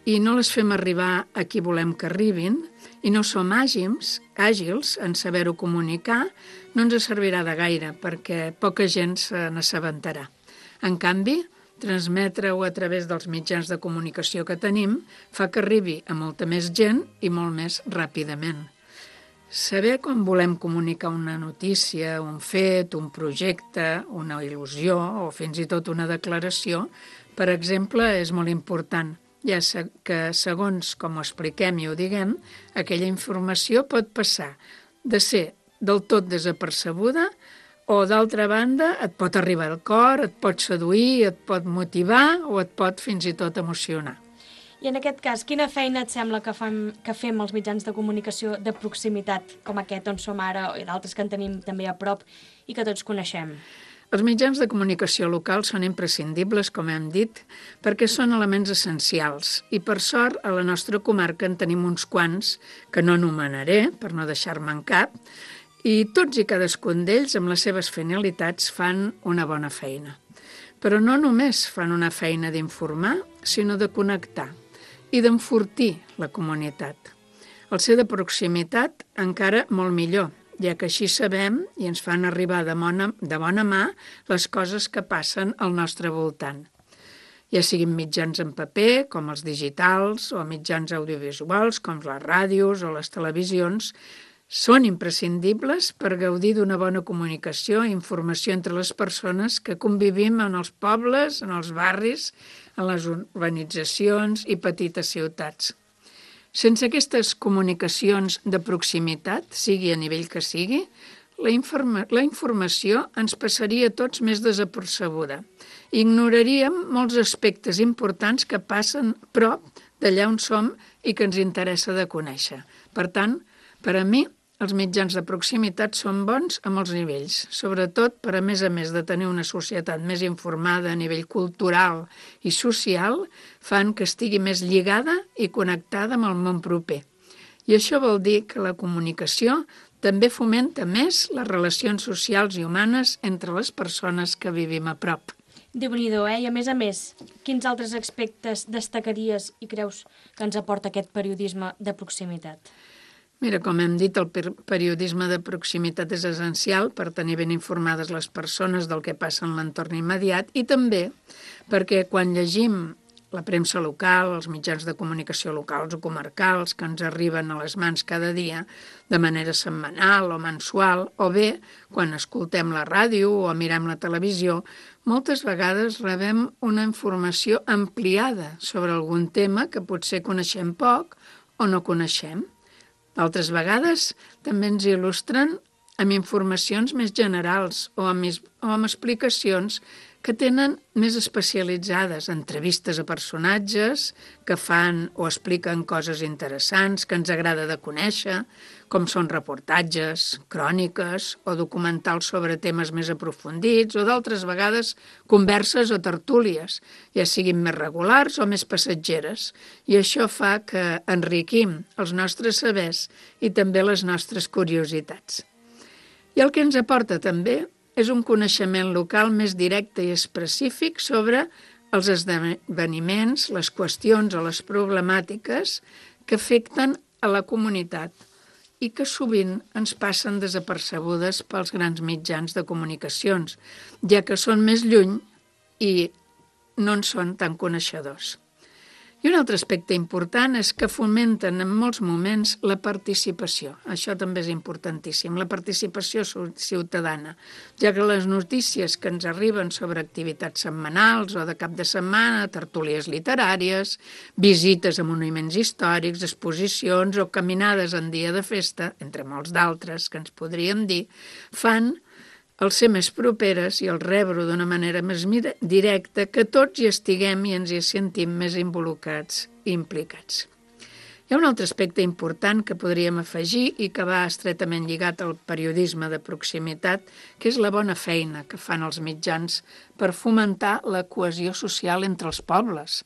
i no les fem arribar a qui volem que arribin i no som àgils, àgils en saber-ho comunicar, no ens servirà de gaire perquè poca gent se n'assabentarà. En canvi, transmetre-ho a través dels mitjans de comunicació que tenim fa que arribi a molta més gent i molt més ràpidament. Saber com volem comunicar una notícia, un fet, un projecte, una il·lusió o fins i tot una declaració, per exemple, és molt important, ja que segons com ho expliquem i ho diguem, aquella informació pot passar de ser del tot desapercebuda o, d'altra banda, et pot arribar al cor, et pot seduir, et pot motivar o et pot fins i tot emocionar. I en aquest cas, quina feina et sembla que fem, que fem els mitjans de comunicació de proximitat, com aquest on som ara, i d'altres que en tenim també a prop i que tots coneixem? Els mitjans de comunicació locals són imprescindibles, com hem dit, perquè són elements essencials. I, per sort, a la nostra comarca en tenim uns quants, que no anomenaré, per no deixar-me en cap, i tots i cadascun d'ells, amb les seves finalitats, fan una bona feina. Però no només fan una feina d'informar, sinó de connectar i d'enfortir la comunitat. El ser de proximitat encara molt millor, ja que així sabem i ens fan arribar de bona, de bona mà les coses que passen al nostre voltant. Ja siguin mitjans en paper, com els digitals, o mitjans audiovisuals, com les ràdios o les televisions, són imprescindibles per gaudir d'una bona comunicació i informació entre les persones que convivim en els pobles, en els barris, en les urbanitzacions i petites ciutats. Sense aquestes comunicacions de proximitat, sigui a nivell que sigui, la, informa la informació ens passaria a tots més desapercebuda. Ignoraríem molts aspectes importants que passen prop d'allà on som i que ens interessa de conèixer. Per tant, per a mi, els mitjans de proximitat són bons a molts nivells, sobretot per a més a més de tenir una societat més informada a nivell cultural i social, fan que estigui més lligada i connectada amb el món proper. I això vol dir que la comunicació també fomenta més les relacions socials i humanes entre les persones que vivim a prop. Déu-n'hi-do, eh? I a més a més, quins altres aspectes destacaries i creus que ens aporta aquest periodisme de proximitat? Mira, com hem dit, el periodisme de proximitat és essencial per tenir ben informades les persones del que passa en l'entorn immediat i també perquè quan llegim la premsa local, els mitjans de comunicació locals o comarcals que ens arriben a les mans cada dia de manera setmanal o mensual, o bé quan escoltem la ràdio o mirem la televisió, moltes vegades rebem una informació ampliada sobre algun tema que potser coneixem poc o no coneixem. D'altres vegades també ens il·lustren amb informacions més generals o amb, o amb explicacions que tenen més especialitzades, entrevistes a personatges que fan o expliquen coses interessants que ens agrada de conèixer, com són reportatges, cròniques o documentals sobre temes més aprofundits o d'altres vegades converses o tertúlies, ja siguin més regulars o més passatgeres. I això fa que enriquim els nostres sabers i també les nostres curiositats. I el que ens aporta també és un coneixement local més directe i específic sobre els esdeveniments, les qüestions o les problemàtiques que afecten a la comunitat i que sovint ens passen desapercebudes pels grans mitjans de comunicacions, ja que són més lluny i no en són tan coneixedors. I un altre aspecte important és que fomenten en molts moments la participació. Això també és importantíssim, la participació ciutadana, ja que les notícies que ens arriben sobre activitats setmanals o de cap de setmana, tertúlies literàries, visites a monuments històrics, exposicions o caminades en dia de festa, entre molts d'altres que ens podríem dir, fan el ser més properes i el rebre d'una manera més directa que tots hi estiguem i ens hi sentim més involucrats i implicats. Hi ha un altre aspecte important que podríem afegir i que va estretament lligat al periodisme de proximitat, que és la bona feina que fan els mitjans per fomentar la cohesió social entre els pobles,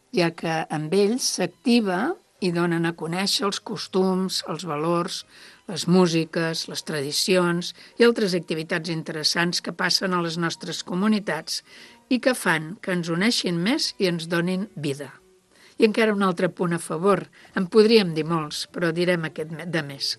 ja que amb ells s'activa i donen a conèixer els costums, els valors, les músiques, les tradicions i altres activitats interessants que passen a les nostres comunitats i que fan que ens uneixin més i ens donin vida. I encara un altre punt a favor, en podríem dir molts, però direm aquest de més,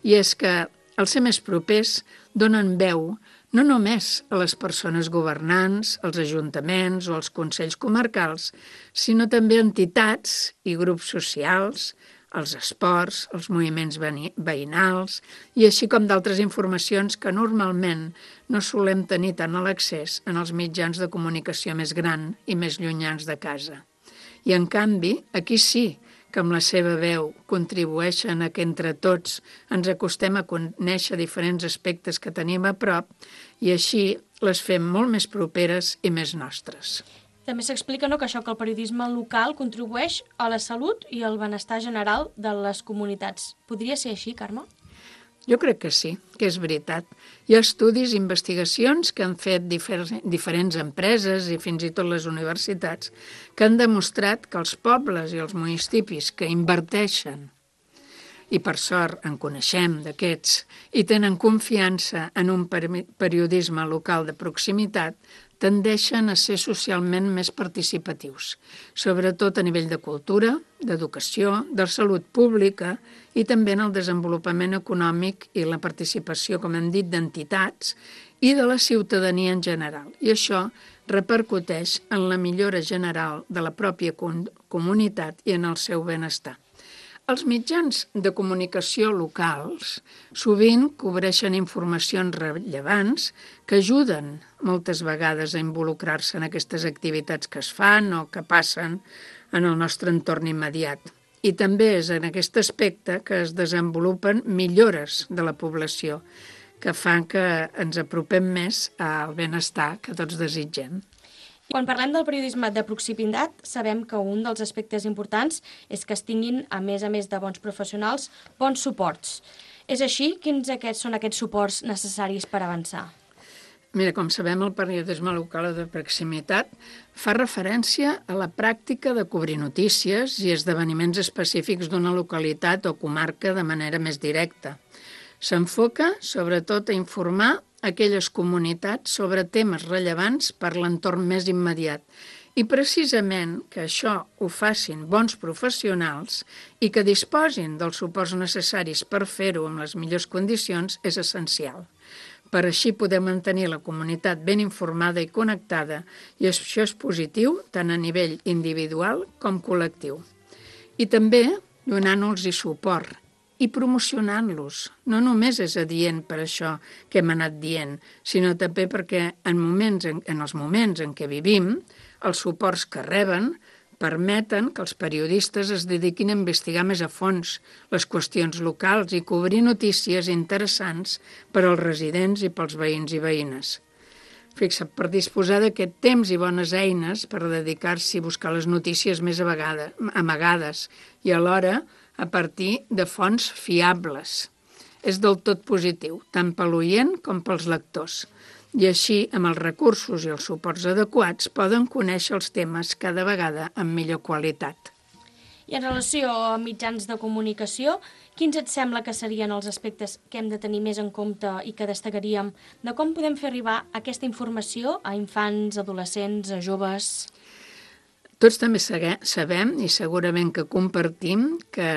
i és que al ser més propers donen veu no només a les persones governants, als ajuntaments o als consells comarcals, sinó també a entitats i grups socials, els esports, els moviments veïnals i així com d'altres informacions que normalment no solem tenir tant a l'accés en els mitjans de comunicació més gran i més llunyans de casa. I en canvi, aquí sí que amb la seva veu contribueixen a que entre tots ens acostem a conèixer diferents aspectes que tenim a prop i així les fem molt més properes i més nostres. També s'explica no, que això que el periodisme local contribueix a la salut i al benestar general de les comunitats. Podria ser així, Carme? Jo crec que sí, que és veritat. Hi ha estudis i investigacions que han fet difer- diferents empreses i fins i tot les universitats que han demostrat que els pobles i els municipis que inverteixen, i per sort en coneixem d'aquests, i tenen confiança en un peri- periodisme local de proximitat, tendeixen a ser socialment més participatius, sobretot a nivell de cultura, d'educació, de salut pública i també en el desenvolupament econòmic i la participació, com hem dit, d'entitats i de la ciutadania en general. I això repercuteix en la millora general de la pròpia comunitat i en el seu benestar. Els mitjans de comunicació locals sovint cobreixen informacions rellevants que ajuden moltes vegades a involucrar-se en aquestes activitats que es fan o que passen en el nostre entorn immediat. I també és en aquest aspecte que es desenvolupen millores de la població que fan que ens apropem més al benestar que tots desitgem. Quan parlem del periodisme de proximitat, sabem que un dels aspectes importants és que es tinguin, a més a més de bons professionals, bons suports. És així? Quins aquests són aquests suports necessaris per avançar? Mira, com sabem, el periodisme local de proximitat fa referència a la pràctica de cobrir notícies i esdeveniments específics d'una localitat o comarca de manera més directa. S'enfoca, sobretot, a informar aquelles comunitats sobre temes rellevants per l'entorn més immediat. I precisament que això ho facin bons professionals i que disposin dels suports necessaris per fer-ho amb les millors condicions és essencial. Per així poder mantenir la comunitat ben informada i connectada, i això és positiu tant a nivell individual com col·lectiu. I també donant-los suport i promocionant-los. No només és adient per això que hem anat dient, sinó també perquè en, moments, en, en els moments en què vivim, els suports que reben permeten que els periodistes es dediquin a investigar més a fons les qüestions locals i cobrir notícies interessants per als residents i pels veïns i veïnes. Fixa't, per disposar d'aquest temps i bones eines per dedicar-s'hi a buscar les notícies més amagades i alhora a partir de fonts fiables. És del tot positiu, tant per l'oient com pels lectors. I així, amb els recursos i els suports adequats, poden conèixer els temes cada vegada amb millor qualitat. I en relació a mitjans de comunicació, quins et sembla que serien els aspectes que hem de tenir més en compte i que destacaríem de com podem fer arribar aquesta informació a infants, adolescents, a joves? Tots també sabem, i segurament que compartim, que,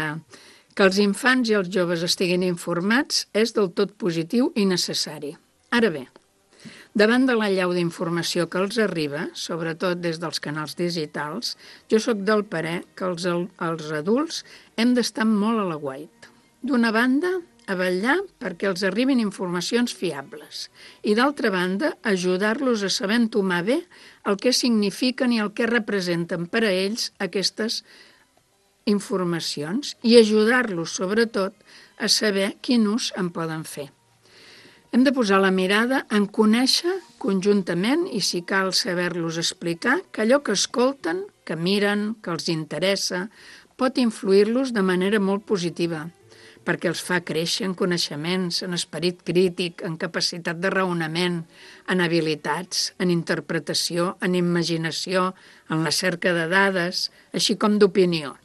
que els infants i els joves estiguin informats és del tot positiu i necessari. Ara bé, davant de l'allau d'informació que els arriba, sobretot des dels canals digitals, jo sóc del parer que els, els adults hem d'estar molt a l'aguait. D'una banda, a vetllar perquè els arribin informacions fiables i, d'altra banda, ajudar-los a saber entomar bé el que signifiquen i el que representen per a ells aquestes informacions i ajudar-los, sobretot, a saber quin ús en poden fer. Hem de posar la mirada en conèixer conjuntament i, si cal, saber-los explicar que allò que escolten, que miren, que els interessa, pot influir-los de manera molt positiva, perquè els fa créixer en coneixements, en esperit crític, en capacitat de raonament, en habilitats, en interpretació, en imaginació, en la cerca de dades, així com d'opinió.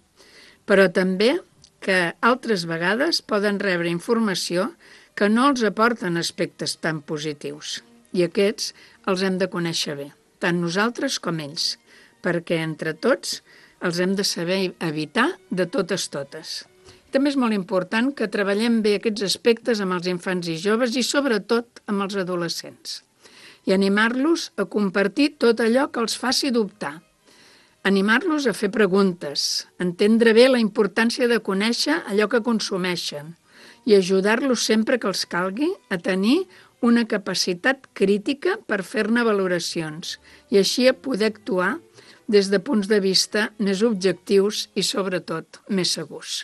Però també que altres vegades poden rebre informació que no els aporten aspectes tan positius. I aquests els hem de conèixer bé, tant nosaltres com ells, perquè entre tots els hem de saber evitar de totes totes. També és molt important que treballem bé aquests aspectes amb els infants i joves i sobretot amb els adolescents i animar-los a compartir tot allò que els faci dubtar. Animar-los a fer preguntes, entendre bé la importància de conèixer allò que consumeixen i ajudar-los sempre que els calgui a tenir una capacitat crítica per fer-ne valoracions i així a poder actuar des de punts de vista més objectius i, sobretot, més segurs.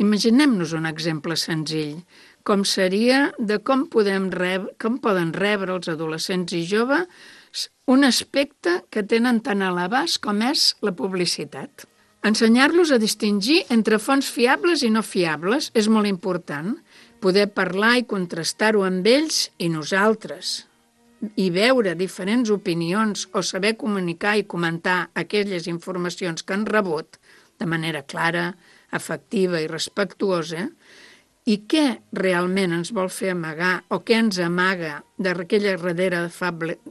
Imaginem-nos un exemple senzill, com seria de com, podem rebre, com poden rebre els adolescents i joves un aspecte que tenen tan a l'abast com és la publicitat. Ensenyar-los a distingir entre fonts fiables i no fiables és molt important. Poder parlar i contrastar-ho amb ells i nosaltres i veure diferents opinions o saber comunicar i comentar aquelles informacions que han rebut de manera clara, efectiva i respectuosa i què realment ens vol fer amagar o què ens amaga d'aquella darrere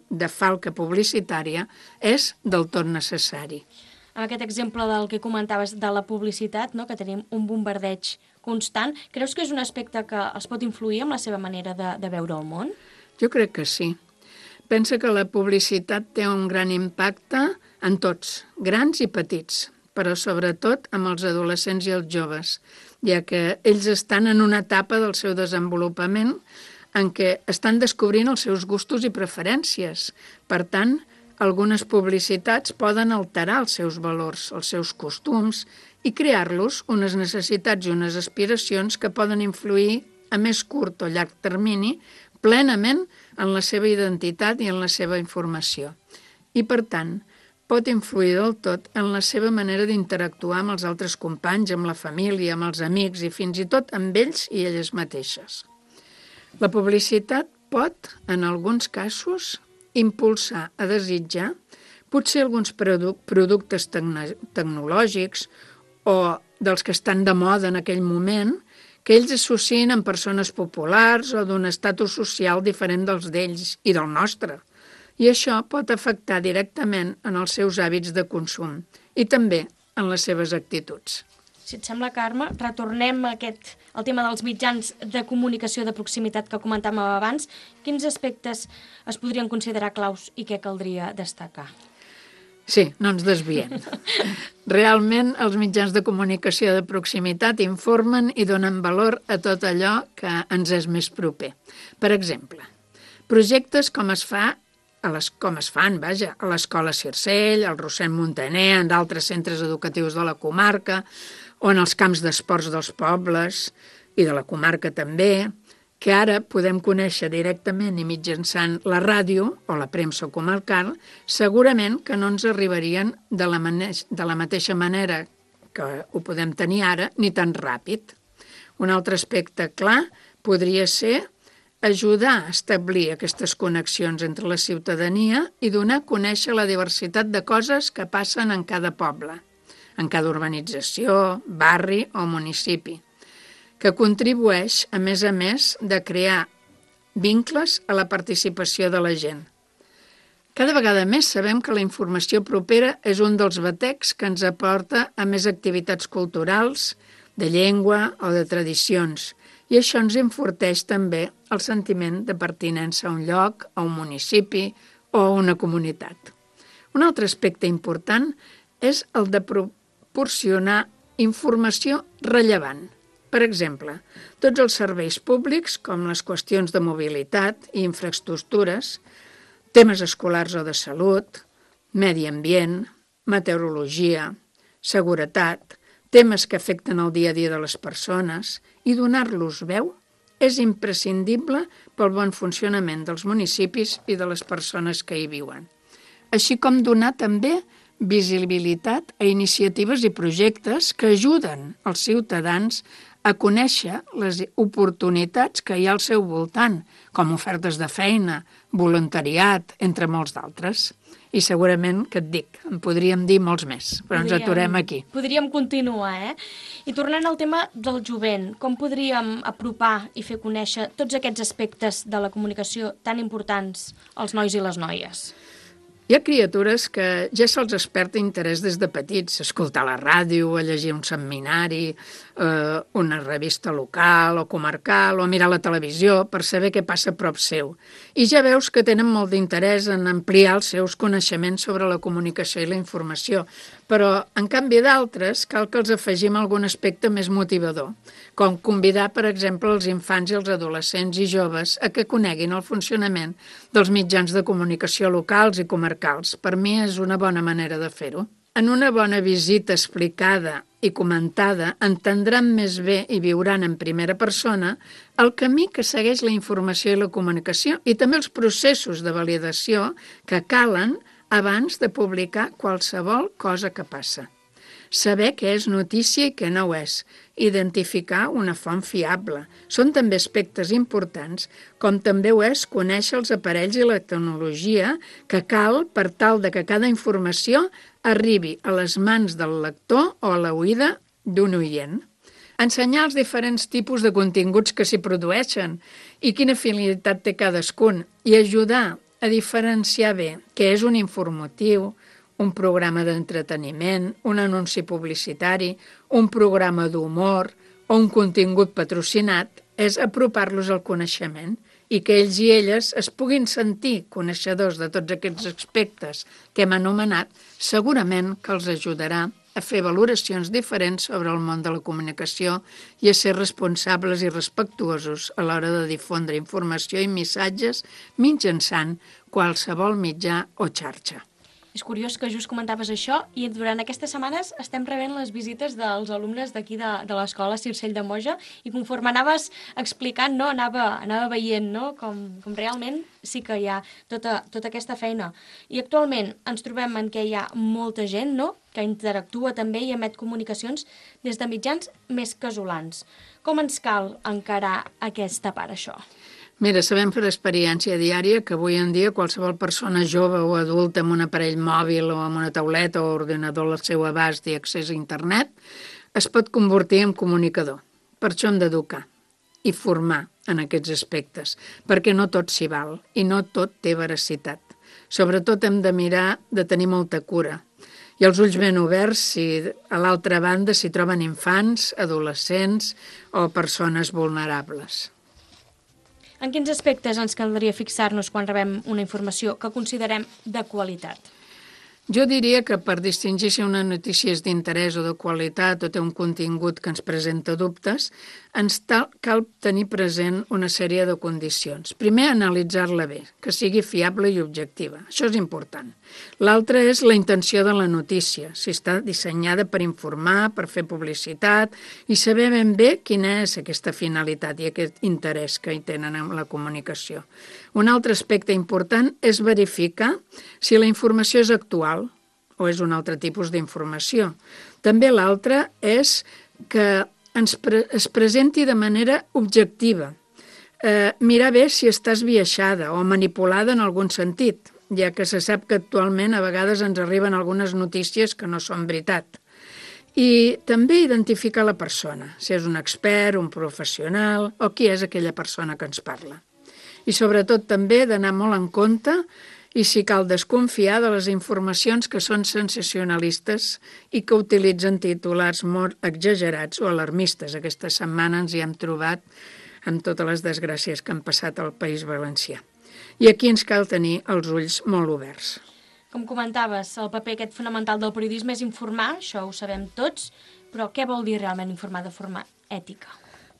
de falca publicitària és del tot necessari. Amb aquest exemple del que comentaves de la publicitat, no? Que tenim un bombardeig constant, creus que és un aspecte que els pot influir en la seva manera de, de veure el món? Jo crec que sí. Pensa que la publicitat té un gran impacte en tots, grans i petits, però sobretot amb els adolescents i els joves, ja que ells estan en una etapa del seu desenvolupament en què estan descobrint els seus gustos i preferències. Per tant, algunes publicitats poden alterar els seus valors, els seus costums i crear-los unes necessitats i unes aspiracions que poden influir a més curt o llarg termini plenament en la seva identitat i en la seva informació. I, per tant, pot influir del tot en la seva manera d'interactuar amb els altres companys, amb la família, amb els amics i fins i tot amb ells i elles mateixes. La publicitat pot, en alguns casos, impulsar a desitjar potser alguns produ- productes tecno- tecnològics o dels que estan de moda en aquell moment, que ells associen amb persones populars o d'un estatus social diferent dels d'ells i del nostre. I això pot afectar directament en els seus hàbits de consum i també en les seves actituds. Si et sembla, Carme, retornem a aquest, al tema dels mitjans de comunicació de proximitat que comentàvem abans. Quins aspectes es podrien considerar claus i què caldria destacar? Sí, no ens desviem. Realment, els mitjans de comunicació de proximitat informen i donen valor a tot allò que ens és més proper. Per exemple, projectes com es fa a les, com es fan, vaja, a l'Escola Circell, al Rossend Montaner, en d'altres centres educatius de la comarca, o en els camps d'esports dels pobles i de la comarca també, que ara podem conèixer directament i mitjançant la ràdio o la premsa comarcal, segurament que no ens arribarien de la, de la mateixa manera que ho podem tenir ara, ni tan ràpid. Un altre aspecte clar podria ser ajudar a establir aquestes connexions entre la ciutadania i donar a conèixer la diversitat de coses que passen en cada poble, en cada urbanització, barri o municipi, que contribueix, a més a més, de crear vincles a la participació de la gent. Cada vegada més sabem que la informació propera és un dels batecs que ens aporta a més activitats culturals, de llengua o de tradicions, i això ens enforteix també el sentiment de pertinença a un lloc, a un municipi o a una comunitat. Un altre aspecte important és el de proporcionar informació rellevant. Per exemple, tots els serveis públics, com les qüestions de mobilitat i infraestructures, temes escolars o de salut, medi ambient, meteorologia, seguretat, temes que afecten el dia a dia de les persones, i donar-los veu és imprescindible pel bon funcionament dels municipis i de les persones que hi viuen. Així com donar també visibilitat a iniciatives i projectes que ajuden els ciutadans a conèixer les oportunitats que hi ha al seu voltant, com ofertes de feina, voluntariat, entre molts d'altres. I segurament, que et dic, en podríem dir molts més, però podríem, ens aturem aquí. Podríem continuar, eh? I tornant al tema del jovent, com podríem apropar i fer conèixer tots aquests aspectes de la comunicació tan importants als nois i les noies? Hi ha criatures que ja se'ls desperta interès des de petits, escoltar la ràdio, a llegir un seminari, eh, una revista local o comarcal, o mirar la televisió per saber què passa a prop seu. I ja veus que tenen molt d'interès en ampliar els seus coneixements sobre la comunicació i la informació, però, en canvi d'altres, cal que els afegim algun aspecte més motivador, com convidar, per exemple, els infants i els adolescents i joves a que coneguin el funcionament dels mitjans de comunicació locals i comarcals. Per mi és una bona manera de fer-ho. En una bona visita explicada i comentada entendran més bé i viuran en primera persona el camí que segueix la informació i la comunicació i també els processos de validació que calen abans de publicar qualsevol cosa que passa. Saber què és notícia i què no ho és, identificar una font fiable. Són també aspectes importants, com també ho és conèixer els aparells i la tecnologia que cal per tal de que cada informació arribi a les mans del lector o a l'oïda d'un oient. Ensenyar els diferents tipus de continguts que s'hi produeixen i quina finalitat té cadascun i ajudar a diferenciar bé què és un informatiu, un programa d'entreteniment, un anunci publicitari, un programa d'humor o un contingut patrocinat, és apropar-los al coneixement i que ells i elles es puguin sentir coneixedors de tots aquests aspectes que hem anomenat, segurament que els ajudarà a fer valoracions diferents sobre el món de la comunicació i a ser responsables i respectuosos a l'hora de difondre informació i missatges mitjançant qualsevol mitjà o xarxa. És curiós que just comentaves això i durant aquestes setmanes estem rebent les visites dels alumnes d'aquí de, de l'escola Circell de Moja i conforme anaves explicant, no, anava, anava veient no? com, com realment sí que hi ha tota, tota aquesta feina. I actualment ens trobem en què hi ha molta gent no? que interactua també i emet comunicacions des de mitjans més casolans. Com ens cal encarar aquesta part, això? Mira, sabem per experiència diària que avui en dia qualsevol persona jove o adulta amb un aparell mòbil o amb una tauleta o ordinador al seu abast i accés a internet es pot convertir en comunicador. Per això hem d'educar i formar en aquests aspectes, perquè no tot s'hi val i no tot té veracitat. Sobretot hem de mirar de tenir molta cura i els ulls ben oberts si a l'altra banda s'hi troben infants, adolescents o persones vulnerables. En quins aspectes ens caldria fixar-nos quan rebem una informació que considerem de qualitat? Jo diria que per distingir si una notícia és d'interès o de qualitat o té un contingut que ens presenta dubtes, ens cal tenir present una sèrie de condicions. Primer, analitzar-la bé, que sigui fiable i objectiva. Això és important. L'altre és la intenció de la notícia, si està dissenyada per informar, per fer publicitat i saber ben bé quina és aquesta finalitat i aquest interès que hi tenen en la comunicació. Un altre aspecte important és verificar si la informació és actual o és un altre tipus d'informació. També l'altre és que ens pre es presenti de manera objectiva. Eh, mirar bé si està esbiaixada o manipulada en algun sentit, ja que se sap que actualment a vegades ens arriben algunes notícies que no són veritat. I també identificar la persona, si és un expert, un professional o qui és aquella persona que ens parla. I sobretot també d'anar molt en compte i si cal desconfiar de les informacions que són sensacionalistes i que utilitzen titulars molt exagerats o alarmistes. Aquesta setmana ens hi hem trobat amb totes les desgràcies que han passat al País Valencià. I aquí ens cal tenir els ulls molt oberts. Com comentaves, el paper aquest fonamental del periodisme és informar, això ho sabem tots, però què vol dir realment informar de forma ètica?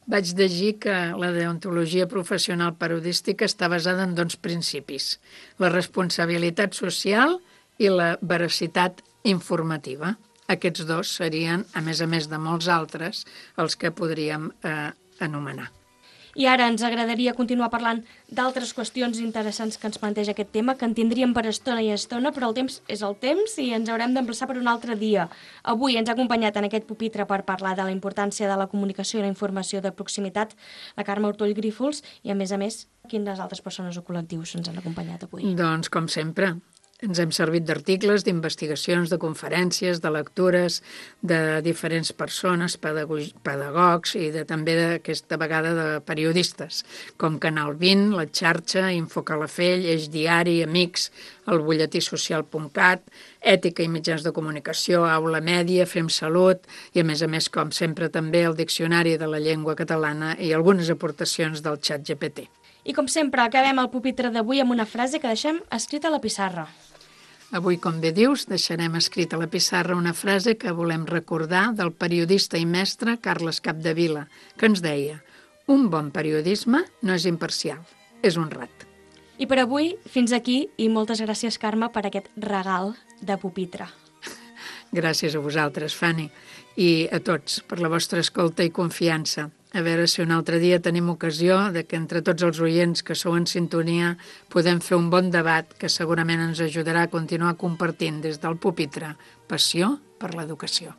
Vaig llegir que la deontologia professional periodística està basada en dos principis, la responsabilitat social i la veracitat informativa. Aquests dos serien, a més a més de molts altres, els que podríem eh, anomenar. I ara ens agradaria continuar parlant d'altres qüestions interessants que ens planteja aquest tema, que en tindríem per estona i estona, però el temps és el temps i ens haurem d'emplaçar per un altre dia. Avui ens ha acompanyat en aquest pupitre per parlar de la importància de la comunicació i la informació de proximitat la Carme Ortull Grífols i, a més a més, quines altres persones o col·lectius ens han acompanyat avui? Doncs, com sempre, ens hem servit d'articles, d'investigacions, de conferències, de lectures, de diferents persones, pedagogs i de, també d'aquesta vegada de periodistes, com Canal vint, La Xarxa, Infocalafell, Eix Diari, Amics, el butlletí social punt cat, Ètica i mitjans de comunicació, Aula Mèdia, Fem Salut i, a més a més, com sempre, també el Diccionari de la Llengua Catalana i algunes aportacions del xat G P T. I com sempre, acabem el pupitre d'avui amb una frase que deixem escrita a la pissarra. Avui, com bé dius, deixarem escrita a la pissarra una frase que volem recordar del periodista i mestre Carles Capdevila, que ens deia: un bon periodisme no és imparcial, és honrat. I per avui, fins aquí, i moltes gràcies, Carme, per aquest regal de pupitre. Gràcies a vosaltres, Fanny, i a tots per la vostra escolta i confiança. A veure si un altre dia tenim ocasió de que entre tots els oients que sou en sintonia podem fer un bon debat que segurament ens ajudarà a continuar compartint des del pupitre passió per l'educació.